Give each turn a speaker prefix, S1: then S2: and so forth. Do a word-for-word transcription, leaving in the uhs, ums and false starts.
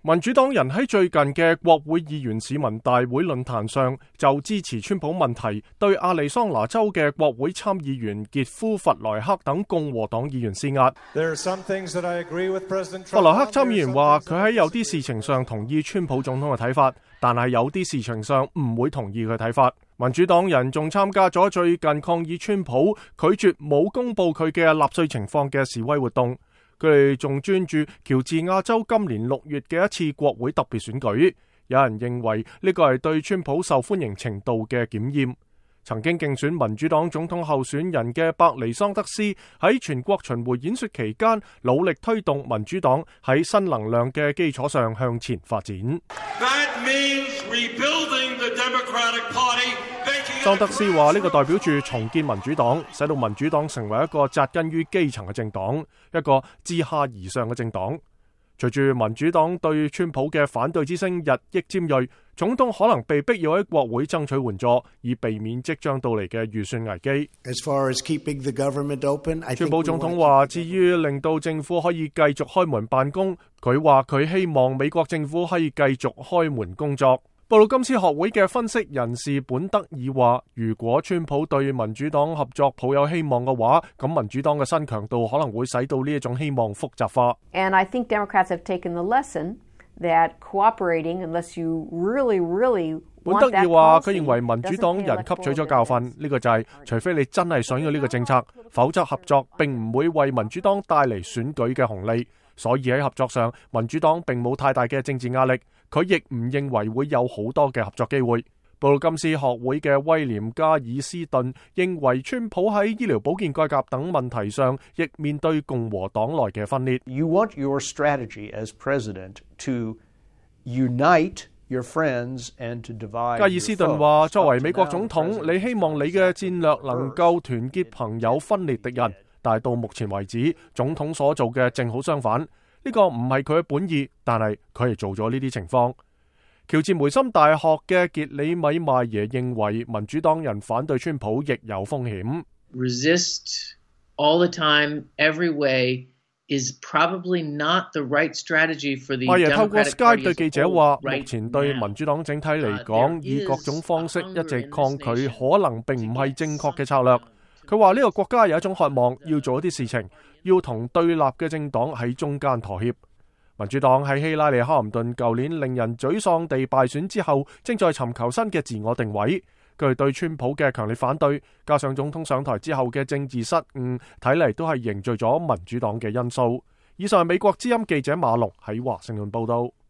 S1: 民主黨人喺最近嘅國會議員市民大會論壇上，就支持川普問題對亞利桑那州嘅國會參議員傑夫弗萊克等共和黨議員施壓。弗萊克參議員話佢喺有啲事情上同意川普總統嘅睇法，但係有啲事情上唔會同意佢睇法。民主黨人仲參加咗最近抗議川普拒絕冇公布佢嘅納稅情況嘅示威活動。佢哋仲專注喬治亞州今年六月嘅一次國會特別選舉，有人認為呢個係對川普受歡迎程度嘅檢驗。曾經競選民主黨總統候選人嘅伯尼桑德斯喺全國巡迴演說期間，努力推動民主黨喺新能量嘅基礎上向前發展。桑德斯話呢個代表住重建民主黨，使到民主黨成為一個紮根於基層嘅政黨，一個自下而上嘅政黨。隨住民主黨對川普嘅反對之聲日益尖銳，總統可能被逼要喺國會爭取援助，以避免即將到嚟嘅預算危機。川普總統話，至於令到政府可以繼續開門辦公，佢話佢希望美國政府可以繼續開門工作。布魯金斯學會嘅分析人士本德爾話，如果川普對民主黨合作抱有希望嘅話，咁民主黨嘅新強度可能會使到呢一種希望複雜化。
S2: And I think Democrats have taken the lesson that cooperating unless you really, really
S1: 本德爾話，佢認為民主黨人吸取咗教訓，呢個就係除非你真係想要呢個政策，否則合作並唔會為民主黨帶嚟選舉嘅紅利。所以喺合作上，民主黨並冇太大嘅政治壓力，佢亦唔認為會有好多嘅合作機會。布魯金斯學會嘅威廉加爾斯頓認為，川普喺醫療保健改革等問題上，亦面對共和黨內嘅分裂。
S3: You want your strategy as president to unite your friends and to divide。加
S1: 爾斯頓話，作為美國總統，你希望你嘅戰略能夠團結朋友，分裂敵人。但係到目前為止，總統所做嘅正好相反。呢個唔係佢嘅本意，但係佢係做咗呢啲情況。喬治梅森大學嘅傑里米邁耶認為，民主黨人反對川普亦有風險。
S4: Resist all the time, every way is probably not the right strategy for the Democratic Party.
S1: 邁耶透過 Skype 對記者話，目前對民主黨整體嚟講，以各種方式一直抗拒，可能並唔係正確嘅策略。佢話呢個國家有一種渴望，要做一啲事情，要同對立嘅政黨喺中間妥協。民主黨喺希拉里·克林頓舊年令人沮喪地敗選之後，正在尋求新嘅自我定位。佢對川普嘅強烈反對，加上總統上台之後嘅政治失誤，睇嚟都係凝聚咗民主黨嘅因素。以上係美國之音記者馬龍喺華盛頓報道。